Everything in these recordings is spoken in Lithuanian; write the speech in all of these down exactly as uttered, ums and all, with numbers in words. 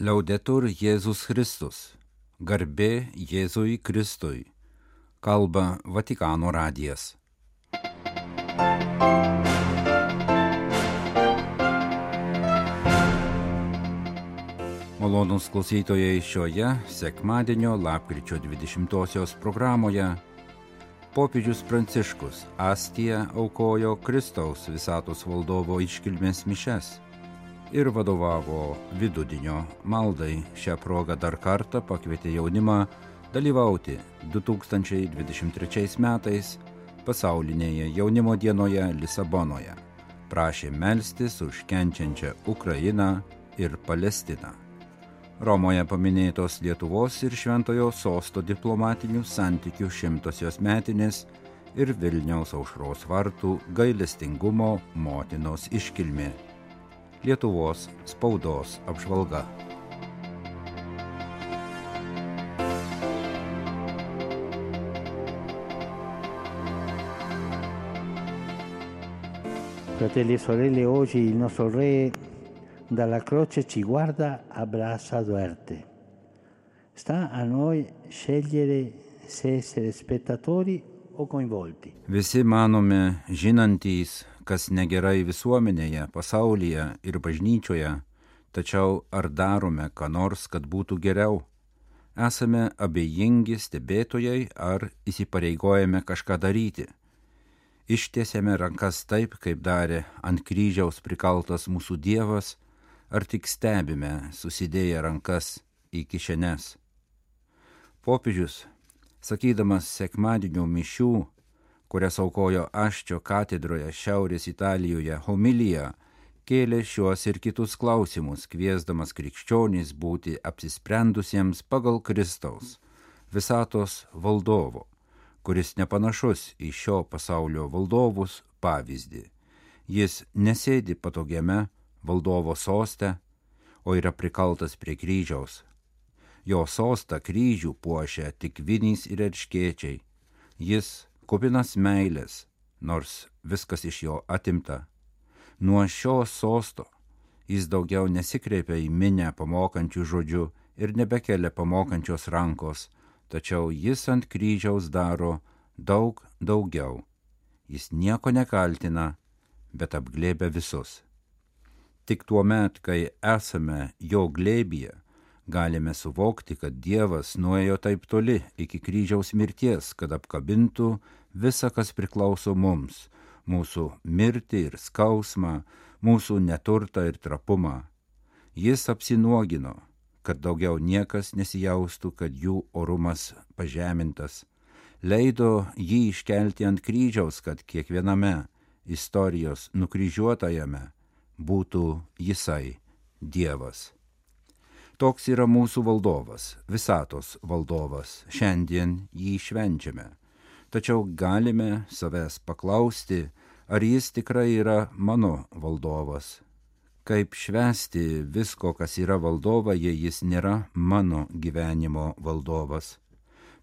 Liaudetur Jėzus Kristus. Garbė Jėzui Kristui. Kalba Vatikano radijas. Malonūs klausytojai, šioje sekmadienio lapkričio dvidešimtosios programoje popiežius Pranciškus Astiją aukojo Kristaus visatos valdovo iškilmės mišias ir vadovavo vidudienio maldai. Šią progą dar kartą pakvietė jaunimą dalyvauti du tūkstančiai dvidešimt trečiais metais pasaulinėje jaunimo dienoje Lisabonoje. Prašė melstis už kenčiančią Ukrainą ir Palestiną. Romoje paminėtos Lietuvos ir Šventojo Sosto diplomatinių santykių šimtosios metinės ir Vilniaus Aušros vartų gailestingumo motinos iškilmė. Lietuvos spaudos apžvalga. Fratelli e sorelle, oggi il nostro Re dalla croce ci guarda a braccia aperte. Sta a noi scegliere se essere spettatori o coinvolti. Visi manome žinantys, kas negerai visuomenėje, pasaulyje ir bažnyčioje, tačiau ar darome ką nors, kad būtų geriau? Esame abejingi stebėtojai ar įsipareigojame kažką daryti? Ištiesėme rankas taip, kaip darė ant kryžiaus prikaltas mūsų Dievas, ar tik stebime susidėję rankas į kišenes? Popiežius, sakydamas sekmadienio mišių, kurias aukojo Aščio katedroje Šiaurės Italijoje homiliją, kėlė šiuos ir kitus klausimus, kviesdamas krikščionys būti apsisprendusiems pagal Kristaus, visatos valdovo, kuris nepanašus į šio pasaulio valdovus pavyzdį. Jis nesėdi patogiame valdovo soste, o yra prikaltas prie kryžiaus. Jo sostą kryžių puošia tik vinys ir erškėčiai. Jis kupinas meilės, nors viskas iš jo atimta. Nuo šio sosto jis daugiau nesikreipia į minią pamokančių žodžių ir nebekelia pamokančios rankos, tačiau jis ant kryžiaus daro daug daugiau. Jis nieko nekaltina, bet apglėbia visus. Tik tuo met, kai esame jo glėbyje, galime suvokti, kad Dievas nuėjo taip toli iki kryžiaus mirties, kad apkabintų visa, kas priklauso mums, mūsų mirtį ir skausmą, mūsų neturtą ir trapumą. Jis apsinuogino, kad daugiau niekas nesijaustų, kad jų orumas pažemintas. Leido jį iškelti ant kryžiaus, kad kiekviename istorijos nukryžiuotajame būtų jisai, Dievas. Toks yra mūsų valdovas, visatos valdovas. Šiandien jį švenčiame. Tačiau galime savęs paklausti, ar jis tikrai yra mano valdovas. Kaip švęsti visko, kas yra valdova, jei jis nėra mano gyvenimo valdovas?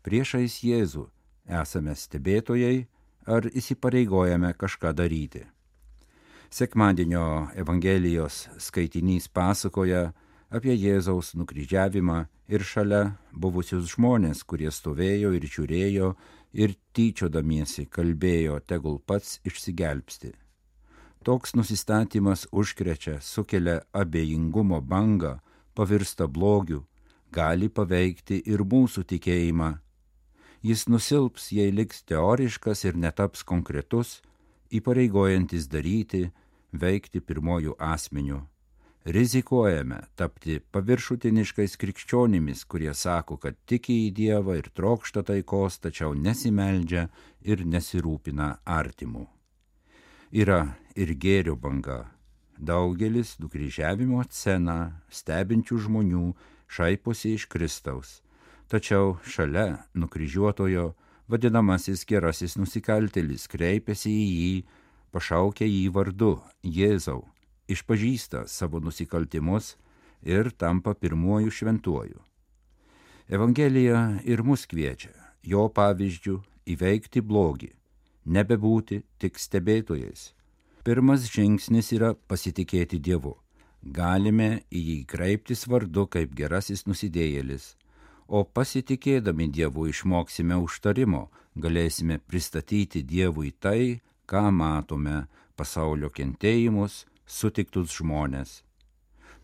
Priešais Jėzų esame stebėtojai ar įsipareigojame kažką daryti? Sekmadienio Evangelijos skaitinys pasakoja apie Jėzaus nukryžiavimą ir šalia buvusius žmonės, kurie stovėjo ir žiūrėjo ir tyčiodamiesi kalbėjo, tegul pats išsigelbsti. Toks nusistatymas užkrečia, sukelia abejingumo bangą, pavirsta blogiu, gali paveikti ir mūsų tikėjimą. Jis nusilps, jei liks teoriškas ir netaps konkretus, įpareigojantis daryti, veikti pirmojų asmenių. Rizikuojame tapti paviršutiniškais krikščionimis, kurie sako, kad tiki į Dievą ir trokšta taikos, tačiau nesimeldžia ir nesirūpina artimu. Yra ir gėrio banga. Daugelis nukryžiavimo sceną stebinčių žmonių šaiposi iš Kristaus. Tačiau šalia nukryžiuotojo vadinamasis gerasis nusikaltėlis kreipiasi į jį, pašaukia jį vardu Jėzau, išpažįsta savo nusikaltimus ir tampa pirmuoju šventuoju. Evangelija ir mus kviečia, jo pavyzdžių, įveikti blogį, nebebūti tik stebėtojais. Pirmas žingsnis yra pasitikėti Dievu, galime į jį kreiptis vardu kaip gerasis nusidėjėlis, o pasitikėdami Dievu išmoksime užtarimo, galėsime pristatyti Dievui tai, ką matome, pasaulio kentėjimus, sutiktus žmonės.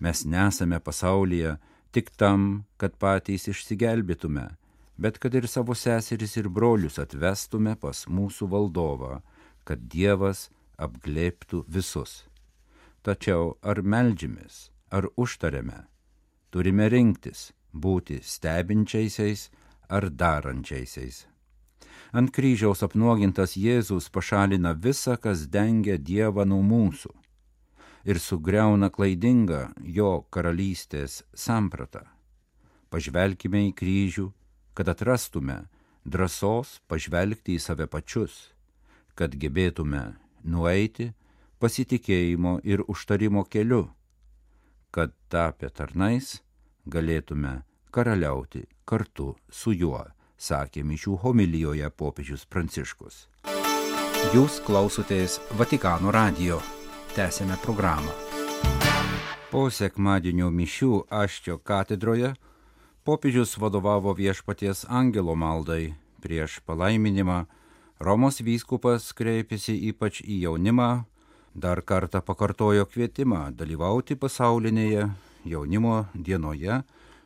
Mes nesame pasaulyje tik tam, kad patys išsigelbėtume, bet kad ir savo seseris ir brolius atvestume pas mūsų valdovą, kad Dievas apglėbtų visus. Tačiau ar meldžiamės, ar užtariame, turime rinktis būti stebinčiaisiais ar darančiaisiais. Ant kryžiaus apnuogintas Jėzus pašalina visą, kas dengia Dievą nuo mūsų ir sugriauna klaidingą jo karalystės sampratą. Pažvelkime į kryžių, kad atrastume drąsos pažvelgti į save pačius, kad gebėtume nueiti pasitikėjimo ir užtarimo keliu, kad tapę tarnais galėtume karaliauti kartu su juo, sakė mišių homilijoje popiežius Pranciškus. Jūs klausotės Vatikano radijo. Tęsėme programą. Po sekmadienio mišių Aščio katedroje popiežius vadovavo Viešpaties angelo maldai. Prieš palaiminimą Romos vyskupas kreipėsi ypač į jaunimą, dar kartą pakartojo kvietimą dalyvauti pasaulinėje jaunimo dienoje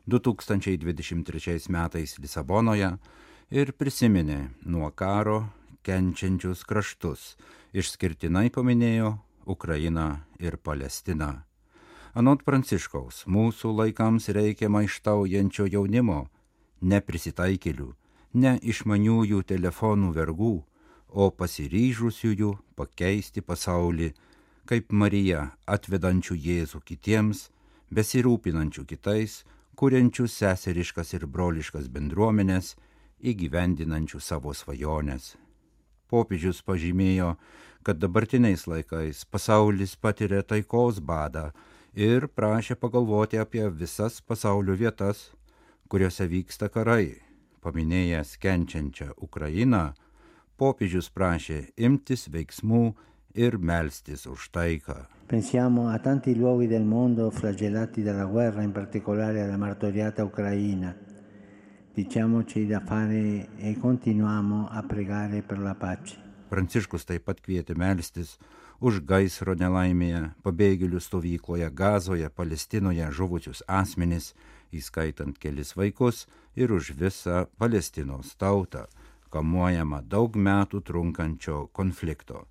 du tūkstančiai dvidešimt trečiais metais Lisabonoje ir prisiminė nuo karo kenčiančius kraštus, išskirtinai paminėjo Ukrainą ir Palestiną. Anot Pranciškaus, mūsų laikams reikia maištaujančio jaunimo, ne prisitaikėlių, ne išmaniųjų telefonų vergų, o pasiryžusiųjų pakeisti pasaulį, kaip Marija, atvedančių Jėzų kitiems, besirūpinančių kitais, kuriančių seseriškas ir broliškas bendruomenės, įgyvendinančių savo svajonės. Popiežius pažymėjo, kad dabartiniais laikais pasaulis patiria taikos badą ir prašė pagalvoti apie visas pasaulio vietas, kuriuose vyksta karai. Paminėjęs kenčiančią Ukrainą, popiežius prašė imtis veiksmų ir melstis už taiką. Pensiamo a tanti luoghi del mondo flagellati dalla guerra, in particolare alla martoriata Ucraina. Diciamoci da fare e continuiamo a pregare per la pace. Pranciškus taip pat kvietė melstis už gaisro nelaimėje, pabėgėlių stovykloje Gazoje, Palestinoje žuvusius asmenis, įskaitant kelis vaikus, ir už visą Palestinos tautą, kamuojama daug metų trunkančio konflikto.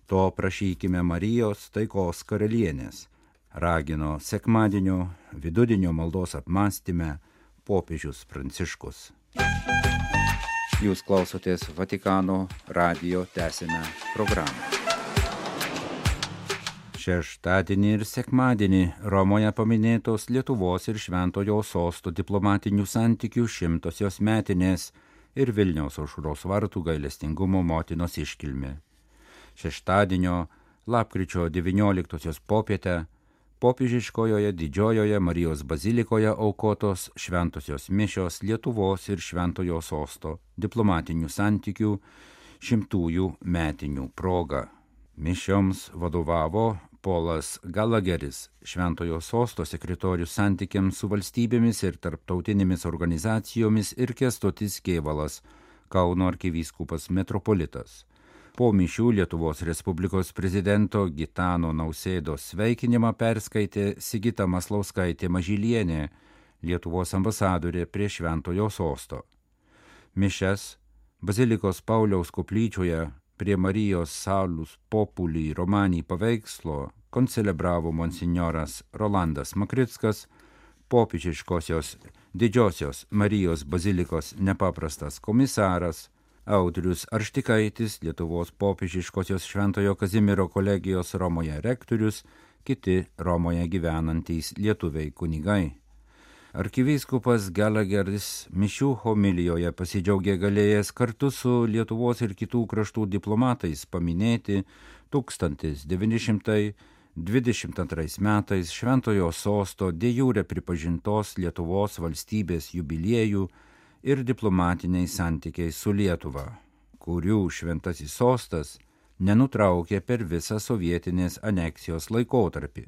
To prašykime Marijos taikos karalienės, ragino sekmadienio vidudienio maldos apmąstyme popiežius Pranciškus. Jūs klausotės Vatikano radijo, tęsime programą. Šeštadienį ir sekmadienį Romoje paminėtos Lietuvos ir Šventojo Sosto diplomatinių santykių šimtosios metinės ir Vilniaus Aušros vartų gailestingumo motinos iškilmė. Šeštadienio lapkričio devynioliktosios popietę popiežiškojoje Didžiojoje Marijos bazilikoje aukotos šventosios mišios Lietuvos ir Šventojo Sosto diplomatinių santykių šimtųjų metinių proga. Mišioms vadovavo Polas Galageris, Šventojo Sosto sekretorius santykiams su valstybėmis ir tarptautinėmis organizacijomis, ir Kęstutis Kėvalas, Kauno arkivyskupas metropolitas. Po mišių Lietuvos Respublikos prezidento Gitano Nausėdos sveikinimą perskaitė Sigita Maslauskaitė Mažylienė, Lietuvos ambasadorė prie Šventojo Sosto. Mišias Bazilikos Pauliaus koplyčioje prie Marijos Salus Populi Romani paveikslo koncelebravo monsinjoras Rolandas Makrickas, popiežiškosios Didžiosios Marijos bazilikos nepaprastas komisaras, Audrius Arštikaitis, Lietuvos popiežiškosios Šventojo Kazimiero kolegijos Romoje rektorius, kiti Romoje gyvenantys lietuviai kunigai. Arkivyskupas Galageris mišių homilijoje pasidžiaugė galėjęs kartu su Lietuvos ir kitų kraštų diplomatais paminėti tūkstantis devyni šimtai dvidešimt antrais metais Šventojo Sosto de jure pripažintos Lietuvos valstybės jubiliejų ir diplomatiniai santykiai su Lietuva, kurių Šventasis Sostas nenutraukė per visą sovietinės aneksijos laikotarpį,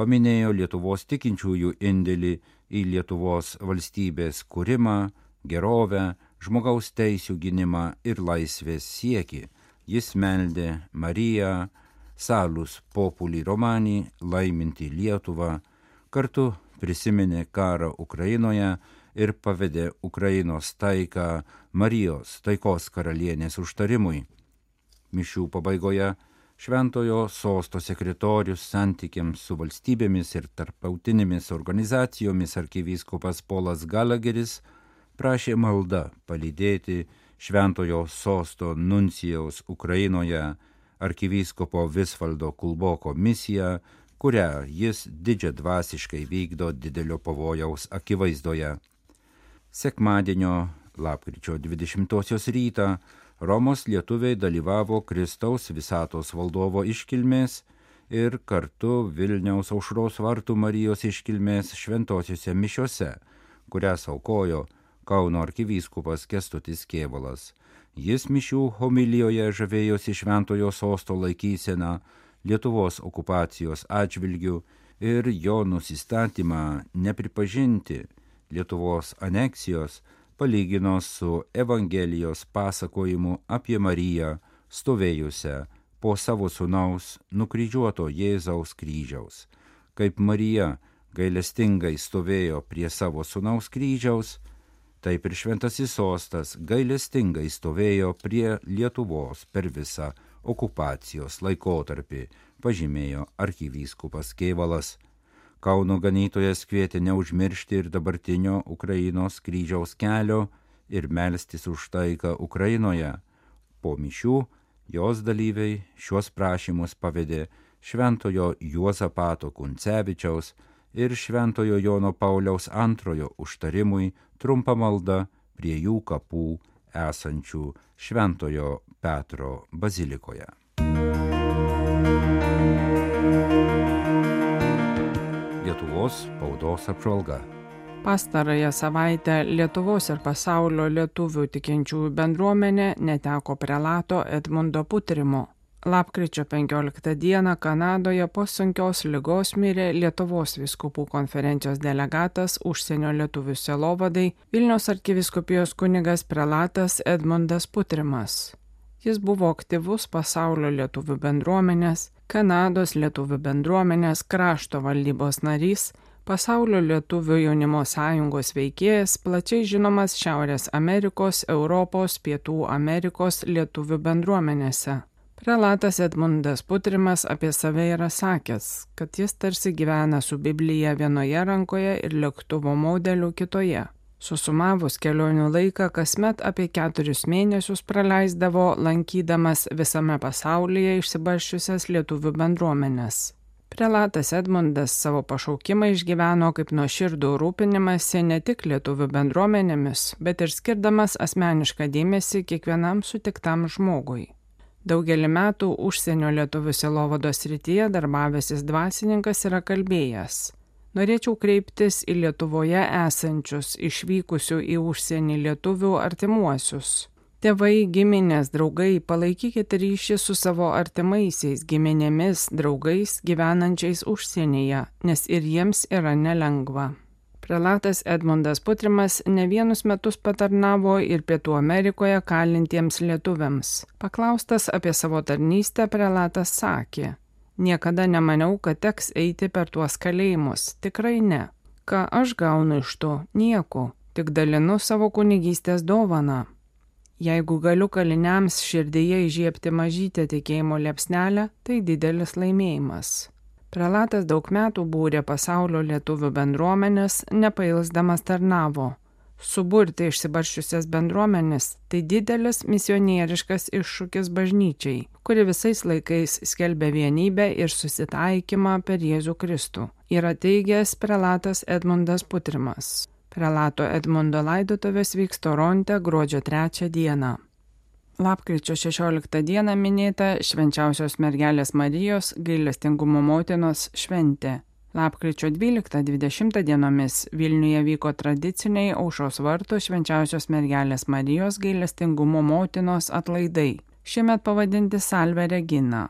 paminėjo Lietuvos tikinčiųjų indėlį į Lietuvos valstybės kūrimą, gerovę, žmogaus teisių gynimą ir laisvės siekį. Jis meldė Mariją, Salus Populi Romani, laiminti Lietuvą, kartu prisiminė karą Ukrainoje ir pavedė Ukrainos taiką Marijos taikos karalienės užtarimui. Mišių pabaigoje Šventojo sosto sekretorius santykiams su valstybėmis ir tarptautinėmis organizacijomis arkivyskupas Polas Galageris prašė malda palydėti Šventojo sosto nuncijaus Ukrainoje arkivyskupo Visvaldo Kulboko misiją, kurią jis didžiadvasiškai vykdo didelio pavojaus akivaizdoje. Sekmadienio lapkričio dvidešimtosios rytą Romos lietuviai dalyvavo Kristaus visatos valdovo iškilmės ir kartu Vilniaus Aušros vartų Marijos iškilmės šventosiuose mišiose, kurias aukojo Kauno arkivyskupas Kęstutis Kėvalas. Jis mišių homilijoje žavėjosi Šventojo sosto laikyseną Lietuvos okupacijos atžvilgių ir jo nusistatymą nepripažinti Lietuvos aneksijos palygino su Evangelijos pasakojimu apie Mariją stovėjusią po savo sūnaus nukryžiuoto Jėzaus kryžiaus. Kaip Marija gailestingai stovėjo prie savo sūnaus kryžiaus, taip ir šventasis sostas gailestingai stovėjo prie Lietuvos per visą okupacijos laikotarpį, pažymėjo arkivyskupas Kėvalas. Kauno ganytojas kvietė neužmiršti ir dabartinio Ukrainos kryžiaus kelio ir melstis už taiką Ukrainoje. Po mišių jos dalyviai šiuos prašymus pavedė Šventojo Juozapato Kuncevičiaus ir Šventojo Jono Pauliaus antrojo užtarimui trumpa malda prie jų kapų esančių Šventojo Petro bazilikoje. Lietuvos spaudos apžvalga. Pastarąją savaitę Lietuvos ir pasaulio lietuvių tikinčiųjų bendruomenė neteko prelato Edmundo Putrimo. Lapkričio penkioliktą dieną Kanadoje po sunkios ligos mirė Lietuvos vyskupų konferencijos delegatas užsienio lietuvių sielovadai Vilniaus arkivyskupijos kunigas prelatas Edmundas Putrimas. Jis buvo aktyvus pasaulio lietuvių bendruomenės, Kanados lietuvių bendruomenės krašto valdybos narys, pasaulio lietuvių jaunimo sąjungos veikėjas, plačiai žinomas Šiaurės Amerikos, Europos, Pietų Amerikos lietuvių bendruomenėse. Prelatas Edmundas Putrimas apie save yra sakęs, kad jis tarsi gyvena su Biblija vienoje rankoje ir lėktuvo modeliu kitoje. Susumavus kelionių laiką, kasmet apie keturis mėnesius praleisdavo lankydamas visame pasaulyje išsibarsčiusias lietuvių bendruomenes. Prelatas Edmundas savo pašaukimą išgyveno kaip nuoširdų rūpinimąsi ne tik lietuvių bendruomenėmis, bet ir skirdamas asmenišką dėmesį kiekvienam sutiktam žmogui. Daugelį metų užsienio lietuvių sielovados srityje darbavęsis dvasininkas yra kalbėjęs: norėčiau kreiptis į Lietuvoje esančius, išvykusių į užsienį lietuvių artimuosius. Tėvai, giminės, draugai, palaikykite ryšį su savo artimaisiais, giminėmis, draugais gyvenančiais užsienyje, nes ir jiems yra nelengva. Prelatas Edmundas Putrimas ne vienus metus patarnavo ir Pietų Amerikoje kalintiems lietuviams. Paklaustas apie savo tarnystę, prelatas sakė: niekada nemaniau, kad teks eiti per tuos kalėjimus, tikrai ne. Ką aš gaunu iš to? Nieko, tik dalinu savo kunigystės dovaną. Jeigu galiu kaliniams širdyje įžiebti mažytę tikėjimo liepsnelę, tai didelis laimėjimas. Prelatas daug metų būrė pasaulio lietuvių bendruomenės, nepailsdamas tarnavo. Suburti išsibarsčiusias bendruomenės – tai didelis misionieriškas iššūkis bažnyčiai, kuri visais laikais skelbia vienybę ir susitaikymą per Jėzų Kristų, yra teigęs prelatas Edmundas Putrimas. Prelato Edmundo laidotuvės vyks Toronte gruodžio trečią dieną. Lapkričio šešioliktą dieną minėta Švenčiausios mergelės Marijos gailestingumo motinos šventė. Lapkričio dvyliktą dvidešimtą dienomis Vilniuje vyko tradiciniai Aušros vartų Švenčiausios mergelės Marijos gailestingumo motinos atlaidai, šiemet pavadinti Salve Regina.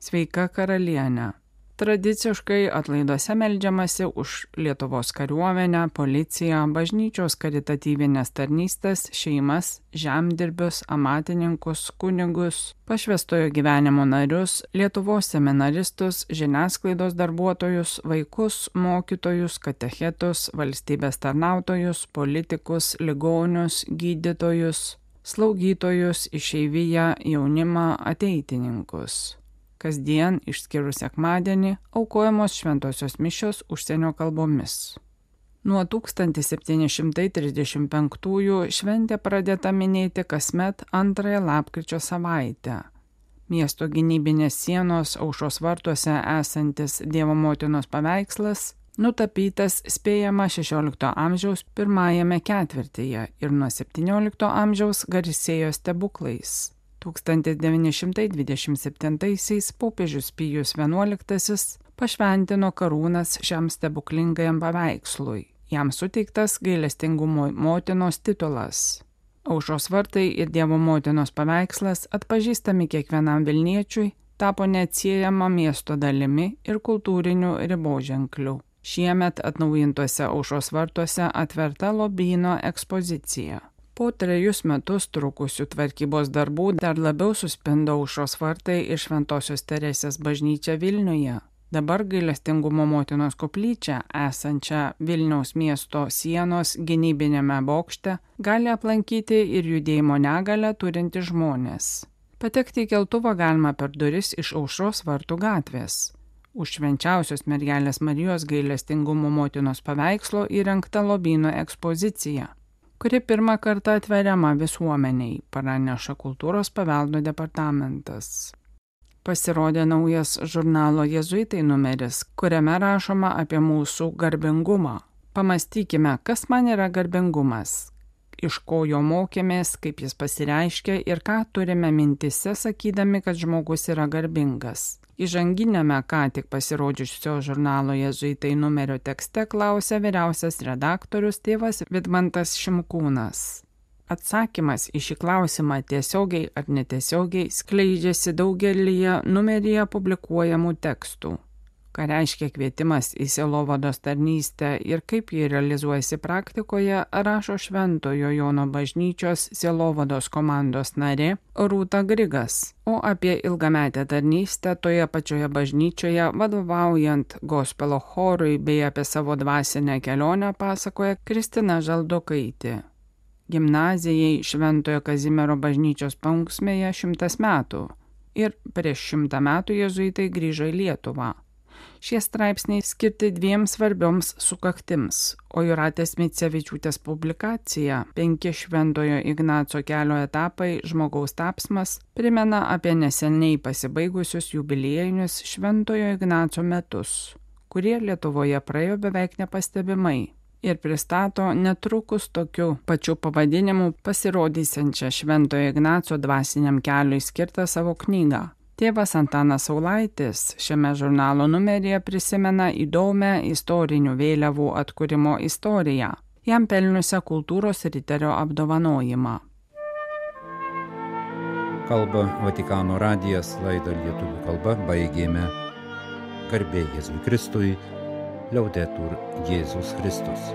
Sveika karalienė. Tradiciškai atlaiduose meldžiamasi už Lietuvos kariuomenę, policiją, bažnyčios karitatyvinės tarnystės, šeimas, žemdirbius, amatininkus, kunigus, pašvęstojo gyvenimo narius, Lietuvos seminaristus, žiniasklaidos darbuotojus, vaikus, mokytojus, katechetus, valstybės tarnautojus, politikus, ligonius, gydytojus, slaugytojus, išeiviją, jaunimą, ateitininkus. Kasdien, išskyrus sekmadienį, aukojamos šventosios mišios užsienio kalbomis. Nuo tūkstantis septyni šimtai trisdešimt penktųjų šventė pradėta minėti kasmet antrąją lapkričio savaitę. Miesto gynybinės sienos Aušros vartuose esantis Dievo motinos paveikslas nutapytas spėjama šešiolikto amžiaus pirmajame ketvirtyje ir nuo septyniolikto amžiaus garsėjo stebuklais. tūkstantis devyni šimtai dvidešimt septintaisiais popiežius Pijus vienuoliktasis pašventino karūnas šiam stebuklingajam paveikslui. Jam suteiktas gailestingumo motinos titulas. Aušros vartai ir Dievo motinos paveikslas, atpažįstami kiekvienam Vilniečiui, tapo neatsiejama miesto dalimi ir kultūriniu riboženkliu. Šiemet atnaujintuose Aušros vartuose atverta lobyno ekspozicija. Po trejus metus trukusių tvarkybos darbų dar labiau suspindo Aušros vartai ir Šventosios Teresės bažnyčia Vilniuje. Dabar gailestingumo motinos koplyčią, esančią Vilniaus miesto sienos gynybinėme bokšte, gali aplankyti ir judėjimo negalią turinti žmonės. Patekti į keltuvą galima per duris iš Aušros vartų gatvės. Už Švenčiausios mergelės Marijos gailestingumo motinos paveikslo įrengta lobyno ekspozicija, kuri pirmą kartą atveriama visuomeniai, praneša Kultūros paveldo departamentas. Pasirodė naujas žurnalo Jėzuitai numeris, kuriame rašoma apie mūsų garbingumą. Pamastykime, kas man yra garbingumas, iš ko jo mokėmės, kaip jis pasireiškia ir ką turime mintise, sakydami, kad žmogus yra garbingas. Įžanginėme ką tik pasirodžiusio žurnalo Jėzuitai numerio tekste klausia vyriausias redaktorius tėvas Vidmantas Šimkūnas. Atsakymas į šį klausimą tiesiogiai ar netiesiogiai skleidžiasi daugelyje numeryje publikuojamų tekstų. Ką reiškia kvietimas į sielovados tarnystę ir kaip jį realizuojasi praktikoje, rašo Šventojo Jono bažnyčios sielovados komandos narė Rūta Grigas, o apie ilgametę tarnystę toje pačioje bažnyčioje vadovaujant gospelo chorui bei apie savo dvasinę kelionę pasakoja Kristina Žaldokaitė. Gimnazijai Šventojo Kazimiero bažnyčios paunksmėje šimtas metų ir prieš šimtą metų jėzuitai grįžo į Lietuvą. Šie straipsniai skirti dviem svarbioms sukaktims, o Jūratės Micevičiūtės publikacija Penki Šventojo Ignaco kelio etapai žmogaus tapsmas primena apie neseniai pasibaigusius jubiliejinius Šventojo Ignaco metus, kurie Lietuvoje praėjo beveik nepastebimai, ir pristato netrukus tokiu pačiu pavadinimu pasirodysiančią Šventojo Ignaco dvasiniam keliui skirtą savo knygą. Tėvas Antanas Saulaitis šiame žurnalo numeryje prisimena įdomią istorinių vėliavų atkūrimo istoriją, jam pelniusią kultūros riterio apdovanojimą. Kalba Vatikano radijas, laidą lietuvių kalba baigėme. Garbė Jėzui Kristui, Liaudetur Jėzus Kristus.